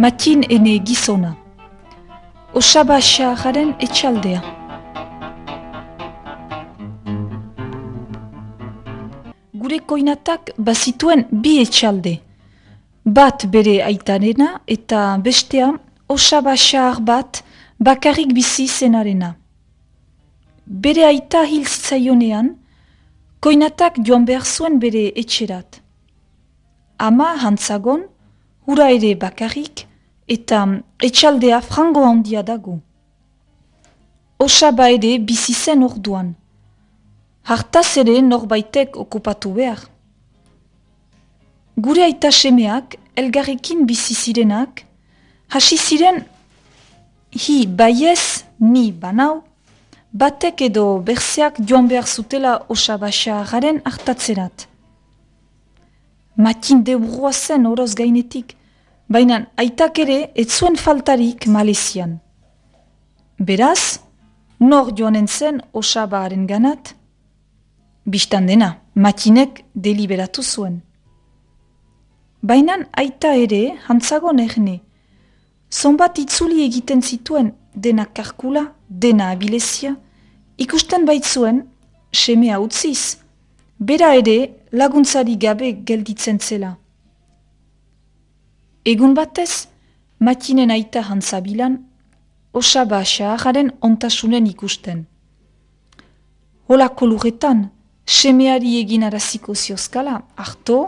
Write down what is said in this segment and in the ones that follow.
Matin ene gizona. Osaba xaharren etxaldea. Gure koinatak bazituen bi etxalde. Bat bere aitarena eta bestea osaba xahar bat bakarrik bizi zenarena. Bere aita hil zitzaionean, koinatak joan behar zuen bere etxerat. Ama hantzagon, hura ere bakarrik, eta etxaldea frango handia dago. Osaba ere bizi zen orduan. Hartaz ere norbaitek okupatu behar. Gure aita semeak, elgarrekin bizi zirenak, hasi ziren hi baiez ni banau, batek edo berzeak joan behar zutela osaba xaharren hartatzerat. Matin deburua zen oroz gainetik, baina aitak ere ez zuen faltarik Malezian. Beraz, nor joanen zen osabaren ganat? Bistan dena, Matinek deliberatu zuen. Baina aita ere, hantzagon erne, zonbat itzuli egiten zituen dena karkula, dena abilezia, ikusten baitzuen, semea utziz, bera ere laguntzari gabe gelditzen zela. Egun batez, Matinen aita hantzabilan, osaba xaharren ontasunen ikusten. Holako lurretan, semeari egin araziko ziozkala, harto,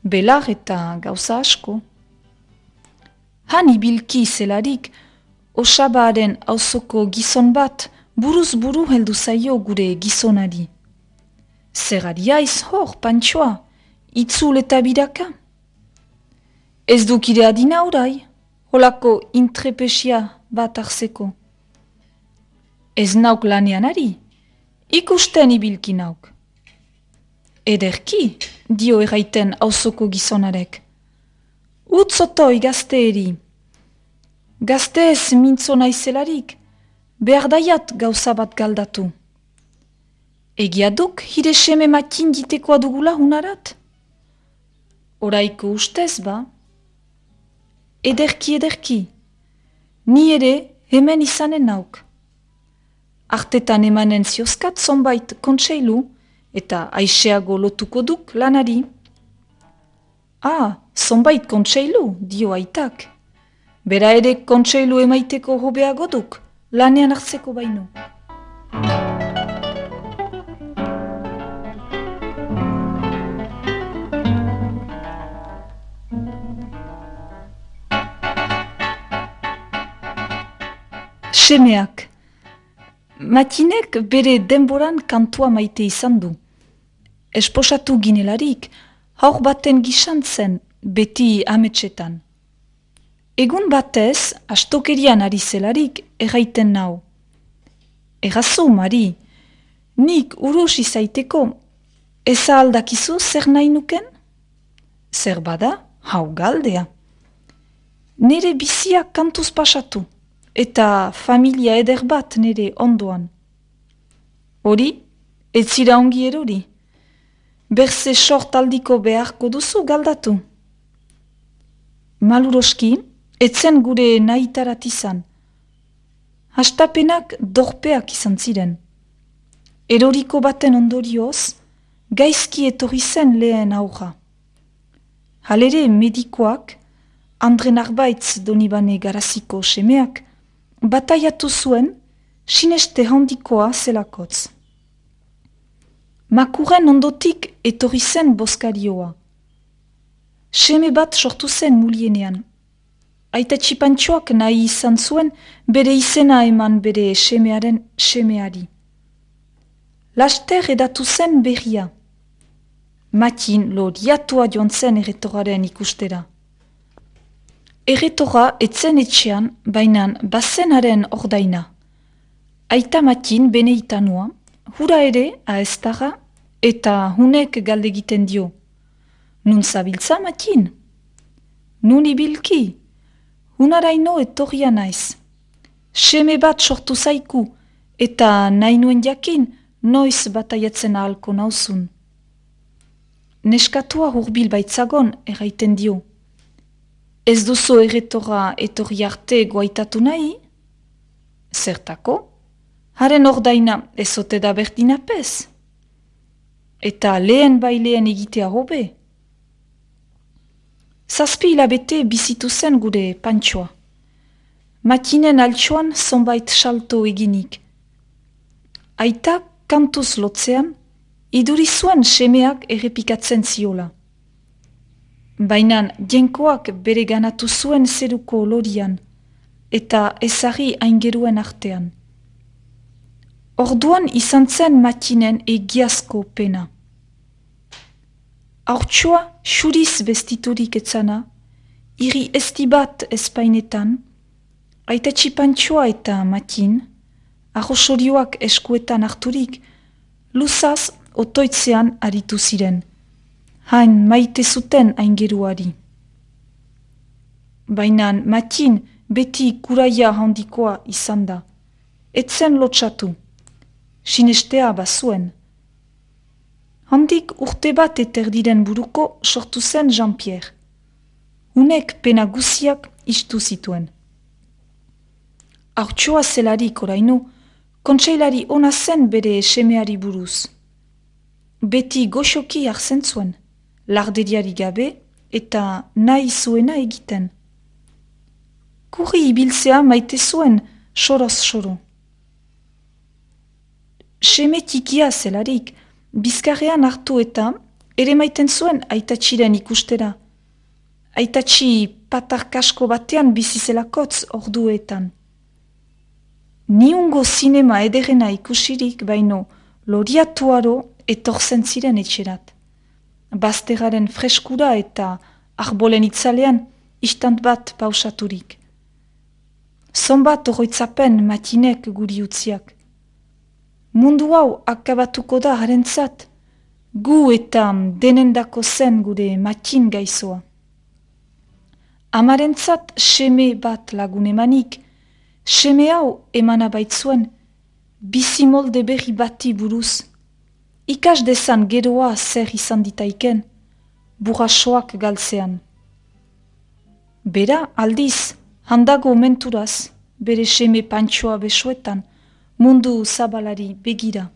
belar eta gauza asko. Han ibilki zelarik, osabaren auzoko gizon bat buruz buru heldu zaio gure gizonari. Zer aiz hor, pantxoa, itzul eta biraka? Ez dukire adina orai, holako intrepesia bat arzeko. Ez nauk lanean ari, ikusten ibilki nauk. Ederki, dio erraiten auzoko gizonarek. Utzotoi gazteeri. Gazteez mintzo naizelarik, behar daiat gauza bat galdatu. Egia duk hire seme Matin ditekoa dugula hunarat? Oraiko ustez ba? Ederki, ni ere hemen izanen nauk. Artetan emanen ziozkat zonbait kontseilu, eta aixeago lotuko duk lanari. Zonbait kontseilu, dio aitak. Bera ere kontseilu emaiteko hobeago duk, lanean hartzeko baino. Semeak. Matinek bere denboran kantua maite izan du. Esposatu ginelarik, haur baten gisan zen beti ametsetan. Egun batez, astokerian ari zelarik erraiten nau. Errazu, Mari, nik urus izaiteko, eza aldakizu zer nahi nuken? Zer bada, hau galdea. Nere bizia kantuz pasatu, eta familia eder bat nere ondoan. Hori, ez zira ongi erori. Berze sort aldiko beharko duzu galdatu. Maluroski, etzen gure nahitarat izan. Hastapenak dorpeak izan ziren. Eroriko baten ondorioz, gaizki etorri zen lehen aurra. Halere medikoak, Andre Narbaitz Donibane Garaziko semeak, bataiatu zuen, sineste handikoa zelakotz. Makuren ondotik etorri zen boskarioa. Seme bat sortu zen mulienean. Aita txipantxoak nahi izan zuen bere izena eman bere semearen semeari. Laster edatu zen berria. Matin lodiatua joan zen erretoraren ikustera. Erretora etzen etxean, bainan bazenaren ordaina. Aita Matin bene itanua, hura ere aestara eta hunek galdegiten dio. Nun zabiltza Matin? Nun ibilki? Hunaraino etorria naiz. Seme bat sortu zaiku eta nahi nuen jakin noiz bataiatzen ahalko nauzun. Neskatua hurbil baitzagon erraiten dio. Ez duzu erretora etorri arte guaitatu nahi? Zertako? Haren ordaina ezote da berdinapez? Eta lehen baileen egitea hobe? 7 hilabete bizitu zen gure Pantxoa. Matinen altxoan zonbait salto eginik. Aita kantuz lotzean, iduri zuen semeak errepikatzen ziola. Baina jenkoak bere ganatu zuen zeruko lorian, eta ezari aingeruen artean. Orduan izan zen matinen egiazko pena. Haurtsoa xuriz bestiturik etzana, iri esti bat espainetan, aitatxi Pantxoa eta matin, arrosorioak eskuetan harturik, luzaz otoitzean aritu ziren. Hain maite zuten aingeruari. Baina matin beti kuraia handikoa izan da. Etzen lotsatu. Sinestea bazuen. Handik urte bat eterdiren buruko sortu zen Jean-Pierre. Unek pena guziak istu zituen. Haurtsoa zelarik oraino, kontseilari ona zen bere semeari buruz. Beti goxoki hartzen zuen, larderiari gabe eta nahi zuena egiten. Kurri ibiltzea maite zuen, soroz-soro. Seme tikia zelarik, bizkarrean hartu eta ere maiten zuen aitatxiren ikustera. Aitatxi patarkasko batean bizizelakotz orduetan. Niungo zinema ederena ikusirik baino loriatuaro etorzen ziren etxerat. Bazteraren freskura eta arbolen itzalean istant bat pausaturik. Zonbat oroitzapen matinek guri utziak. Mundu hau akabatuko da harentzat, gu eta denendako zen gure matin gaizoa. Amarentzat seme bat lagun emanik, seme hau emana baitzuen, bizimolde berri bati buruz, ikas dezan geroa zer izan ditaiken, burrasoak galtzean. Bera aldiz, handago menturaz, bere seme Pantxoa besoetan, mundu zabalari begira.